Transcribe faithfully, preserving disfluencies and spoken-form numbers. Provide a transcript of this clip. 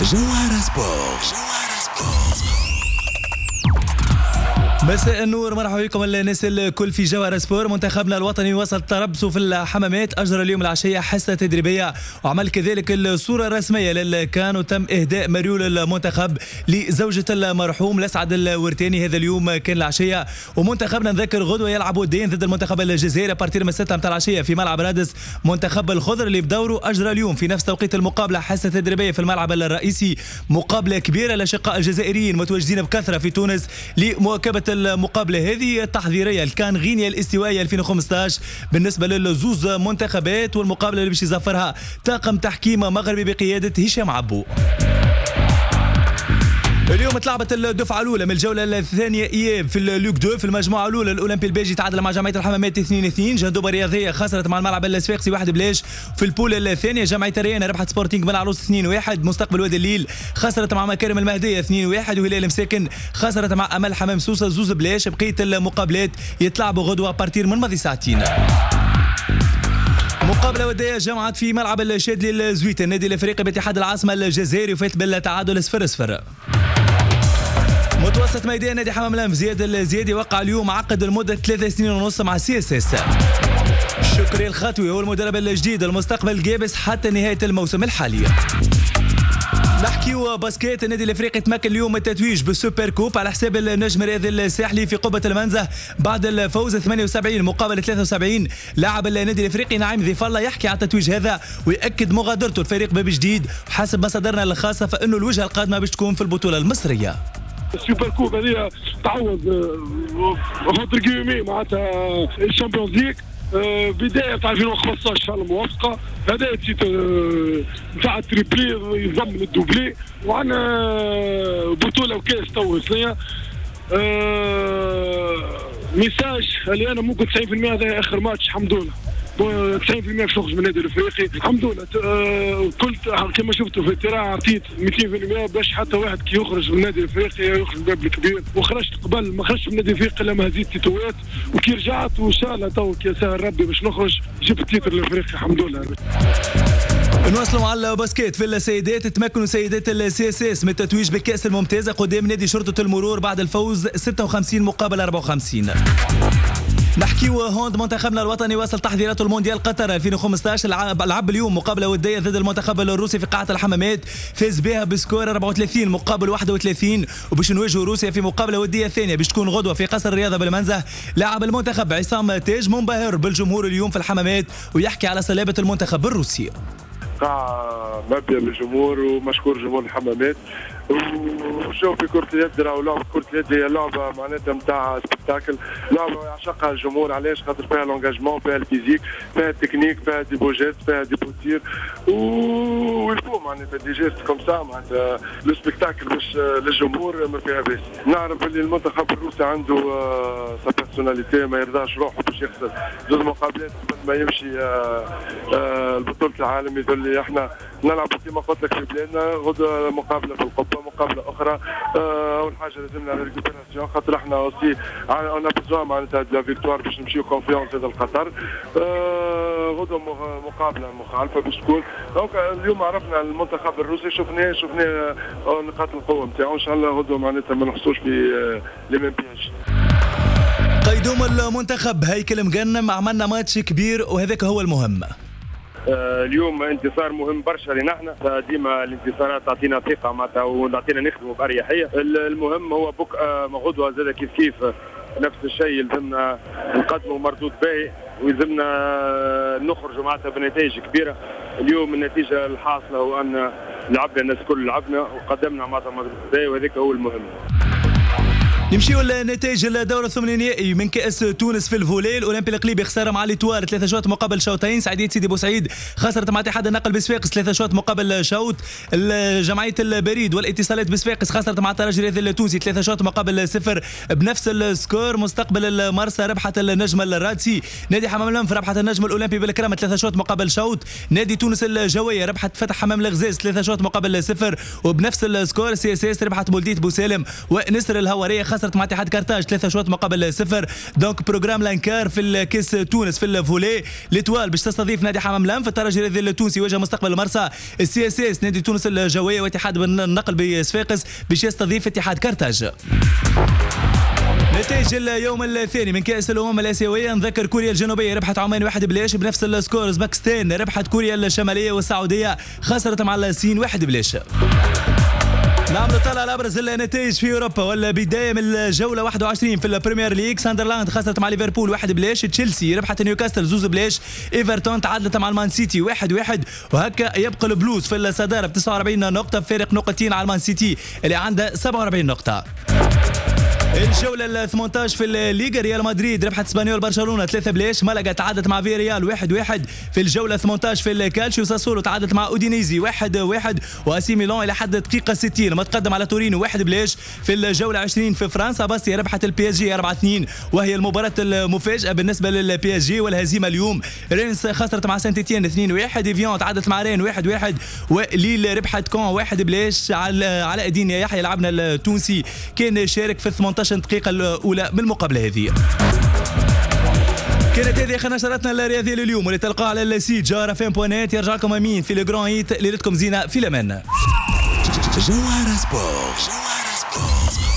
جوهرة سبور، جوهرة سبور. مساء النور، مرحبا بكم الناس الكل في جوهرة سبور. منتخبنا الوطني وصل تربصه في الحمامات، اجرى اليوم العشية حصة تدريبية وعمل كذلك الصورة الرسمية للكان، وتم اهداء مريول المنتخب لزوجة المرحوم لسعد الورتاني. هذا اليوم كان العشية، ومنتخبنا نذكر غدوه يلعب وديا ضد المنتخب الجزائري à partir من ستة متاع العشية في ملعب رادس. منتخب الخضر اللي بدوره اجرى اليوم في نفس توقيت المقابلة حصة تدريبية في الملعب الرئيسي، مقابله كبيرة للاشقاء الجزائريين متواجدين بكثرة في تونس لمواكبه المقابلة هذه التحضيريه الكان غينيا الاستوائيه ألفين وخمسطاش بالنسبة للزوز منتخبات، والمقابلة اللي باش يزفرها طاقم تحكيم مغربي بقيادة هشام عبو. اليوم تلعبت الدفعة الاولى من الجولة الثانية اياب في ال Ligue deux. في المجموعة الاولى الاولمبي الباجي تعادل مع جمعية الحمامات اثنين اثنين، جندوبه الرياضية خسرت مع الملعب الصفاقسي واحد بلاش. في ال poule الثانية جمعية الريان ربحت سبورتينغ بن عروس اثنين واحد، مستقبل وادي الليل خسرت مع مكارم المهدية اثنين واحد، وهلال مساكن خسرت مع امل حمام سوسة زوز بلاش. بقية المقابلات يتلعبوا غدوه à partir من ماضي ساعتين. مقابلة ودية جمعت في ملعب الشادلي الزويت النادي الافريقي باتحاد العاصمة الجزائري وفات بالتعادل صفر صفر. متوسط ميدان نادي حمام الأنف زياد الزيادي وقع اليوم عقد لمدة ثلاث سنين ونص مع CSS. شكري الخطوي هو المدرب الجديد المستقبل جابس حتى نهاية الموسم الحالي. نحكيو basket، النادي الافريقي تمكن اليوم التتويج بال super coupe على حساب النجم الرياضي الساحلي في قبه المنزه بعد الفوز ثمانية وسبعين مقابل ثلاثة وسبعين. لاعب النادي الافريقي نعيم ضيف الله يحكي على التتويج هذا ويأكد مغادرته الفريق باب جديد، وحسب مصادرنا الخاصة فانه الوجهة القادمة باش تكون في البطولة المصرية. ال super coupe هذه تعوض entre guillemets معناتها ال Champions League، بداية تاع ألفين وخمسطاش ان شاء الله موفقة. هذا titre نتاع ال triplé يضمن ال doublé، وعندنا بطوله وكاس تو سنية. message اللي انا ممكن تسعين بالمية هذا اخر ماتش الحمد لله، تسعين بالمية باش نخرج من النادي الافريقي الحمد لله. كنت كما شفتوا في ال terrain عطيت مئتين بالمية باش حتى واحد كي يخرج من النادي الافريقي يخرج من الباب الكبير، وخرجت قبل ما خرجت من النادي الافريقي لما هزيت تيتوات، وكي رجعت وان شاء الله تو كي سهل ربي باش نخرج جبت titre الافريقي الحمد لله. نواصلوا مع ال basket في السيدات. تمكنوا سيدات ال CSS من التتويج بالكأس الممتازة قدام نادي شرطة المرور بعد الفوز ستة وخمسين مقابل أربعة وخمسين. نحكيو hand، منتخبنا الوطني واصل تحضيراته المونديال قطر ألفين وخمسطاش، لعب اليوم مقابله وديه ضد المنتخب الروسي في قاعة الحمامات، فاز بها ب score أربعة وثلاثين مقابل واحد وثلاثين، وباش نواجهوا روسيا في مقابله وديه ثانية باش تكون غدوه في قصر الرياضة بالمنزه. لاعب المنتخب عصام تاج منبهر بالجمهور اليوم في الحمامات ويحكي على صلابة المنتخب الروسي. قاعة مبنية بالجمهور ومشكور جمهور الحمامات. وشوف في كرة اليد راهو لعبة كرة اليد هي لعبة معناتها نتاع spectacle، لعبة يعشقها الجمهور. علاش؟ خاطر فيها l'engagement، فيها ال physique، فيها التكنيك، فيها des beaux gestes، فيها des beaux tirs، و il faut معناتها des gestes comme ça معناتها le spectacle باش للجمهور ما فيها باس. نعرف اللي المنتخب الروسي عنده sa personnalité، ما يرضاش روحه باش يخسر زوج مقابلات قبل ما يمشي لبطولة العالم. يظل لي احنا نلعبوا كما قلت لك في بلادنا، غدوة مقابلة في القبة، مقابله اخرى. اول حاجة لازمنا récupération، خاطر احنا aussi on a besoin معناتها de la victoire باش نمشيو confiance هذا القطر. غدوه مقابله مخالفة باش تكون. donc اليوم عرفنا المنتخب الروسي، شفناه شفناه نقاط القوة نتاعو. ان شاء الله غدوه معناتها ما نحصوش في les mêmes pièges. قيدوم المنتخب هيكل مجنم، عملنا ماتش كبير وهذاك هو المهم. اليوم انتصار مهم برشا لنا احنا، ديما الانتصارات تعطينا ثقة معناتها وتعطينا نخدموا باريحية. المهم هو بك غدوه زاد كيف كيف نفس الشيء، يلزمنا نقدموا مردود باهي ويلزمنا نخرجوا معناتها بنتائج كبيرة. اليوم النتيجة الحاصلة هو ان لعبنا الناس الكل لعبنا وقدمنا معناتها مردود باهي وهذاك هو المهم. نمشيو لنتائج الدور الثمن النهائي من كأس تونس في ال volley. الاولمبي القليبي خسارة مع l'Étoile ثلاثة شوط مقابل شوطين. سعيدية سيدي بوسعيد خسرت مع اتحاد النقل بصفاقس ثلاثة شوط مقابل شوط. جمعية البريد والاتصالات بصفاقس خسرت مع الترجي الرياضي التونسي ثلاثة شوط مقابل صفر بنفس ال score. مستقبل المرسى ربحت النجم الرادسي. نادي حمام الأنف ربحت النجم الاولمبي بالكرامه ثلاثة شوط مقابل شوط. نادي تونس الجوية ربحت فتح حمام الغزاز ثلاثة شوط مقابل صفر وبنفس ال score. CSS ربحت بولدية بوسالم ونسر الهواريه خسرت مع اتحاد كارتاج ثلاثة شوط مقابل صفر. donc programme l'Ancar في الكاس تونس في ال volley، l'Étoile باش تستضيف نادي حمام الأنف، الترجي الرياضي التونسي يواجه مستقبل المرسى، ال CSS نادي تونس الجوية واتحاد النقل بصفاقس باش يستضيف اتحاد كارتاج. نتائج اليوم الثاني من كأس الأمم الآسيوية، نذكر كوريا الجنوبية ربحت عمان واحد بلاش بنفس ال score، أوزبكستان ربحت كوريا الشمالية والسعودية خسرت مع الصين واحد بلاش. نعمل طلع على ابرز النتائج في اوروبا، والبداية من الجولة واحد وعشرين في البريمير ليج، ساندرلاند خسرت مع ليفربول واحد بلاش، تشيلسي ربحت نيوكاسل زوز بلاش، ايفرتون تعادلت مع المان سيتي واحد واحد، وهكا يبقى البلوز في الصدارة ب تسعة وأربعين نقطة، فارق نقطتين على المان سيتي اللي عنده سبعة وأربعين نقطة. الجولة ال ثمانية عشر في الليغا، ريال مدريد ربحت اسبانيول برشلونة ثلاثة بلاش، مالاغا تعادلت مع فياريال واحد واحد. في الجولة ثمانية عشر في الكالشيو، ساسولو تعادلت مع اودينيزي واحد واحد، واسي ميلان الى حد دقيقة ستين متقدم على تورينو واحد بلاش. في الجولة عشرين في فرنسا، باستيا ربحت ال PSG أربعة اثنين، وهي المباراة المفاجأة بالنسبة لل PSG والهزيمة اليوم. رينس خسرت مع سانت اتيان اثنين واحد، ايفيون تعادلت مع رين واحد واحد، وليل ربحت كون واحد بلاش. على علاء الدين يحيى لعبنا التونسي كان شارك في ثمانية عشر دقيقة الأولى من المقابلة هذه. كانت هذه آخر نشرتنا الرياضية لليوم، واللي تلقاها على ال site جوهرة FM point net. يرجع لكم أمين في le grand hit، ليلتكم زينة في الأمان. جوهرة سبور. جوهرة سبور.